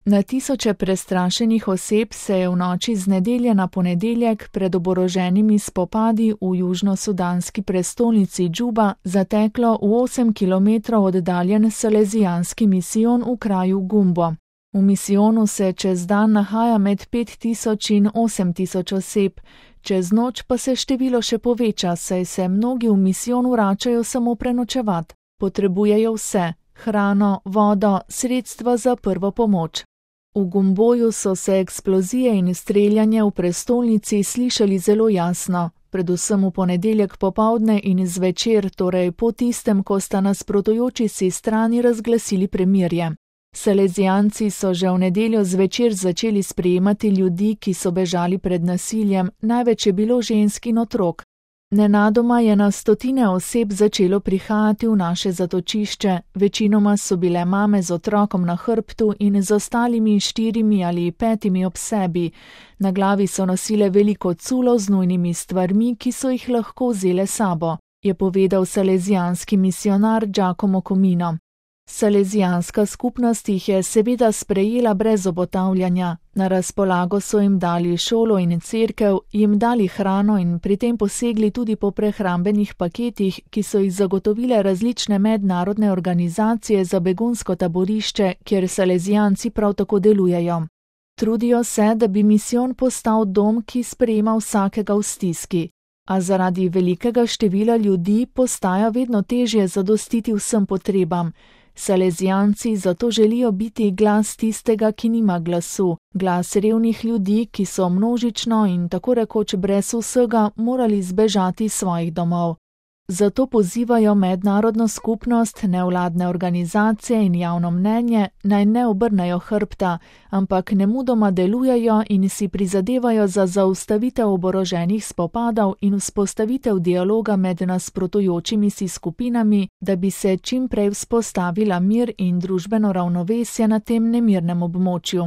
Na tisoče prestrašenih oseb se je v noči z nedelje na ponedeljek pred oboroženimi spopadi v južnosudanski prestolnici Džuba zateklo v 8 kilometrov oddaljen salezijanski misijon v kraju Gumbo. V misijonu se čez dan nahaja med 5000 in 8000 oseb, čez noč pa se število še poveča, saj se mnogi v misijon vračajo samo prenočevat. Potrebujejo vse: hrano, vodo, sredstva za prvo pomoč. V Gumboju so se eksplozije in streljanje v prestolnici slišali zelo jasno, predvsem v ponedeljek popoldne in zvečer, torej po tistem, ko sta nasprotujoči si strani razglasili premirje. Salezijanci so že v nedeljo zvečer začeli sprejemati ljudi, ki so bežali pred nasiljem, največ je bilo žensk in otrok. Nenadoma je na stotine oseb začelo prihajati v naše zatočišče, večinoma so bile mame z otrokom na hrbtu in z ostalimi 4 ali 5 ob sebi. Na glavi so nosile veliko culo z nujnimi stvarmi, ki so jih lahko vzele sabo, je povedal salezijanski misionar Giacomo Comino. Salezijanska skupnost jih je seveda sprejela brez obotavljanja. Na razpolago so jim dali šolo in cerkev, jim dali hrano in pri tem posegli tudi po prehrambenih paketih, ki so jih zagotovile različne mednarodne organizacije za begunsko taborišče, kjer salezijanci prav tako delujejo. Trudijo se, da bi misijon postal dom, ki sprejema vsakega v stiski. A zaradi velikega števila ljudi postaja vedno težje zadostiti vsem potrebam. Salezijanci zato želijo biti glas tistega, ki nima glasu, glas revnih ljudi, ki so množično in tako rekoč brez vsega morali zbežati iz svojih domov. Zato pozivajo mednarodno skupnost, nevladne organizacije in javno mnenje, naj ne obrnejo hrbta, ampak nemudoma delujejo in si prizadevajo za zaustavitev oboroženih spopadov in vzpostavitev dialoga med nasprotujočimi si skupinami, da bi se čim prej vzpostavila mir in družbeno ravnovesje na tem nemirnem območju.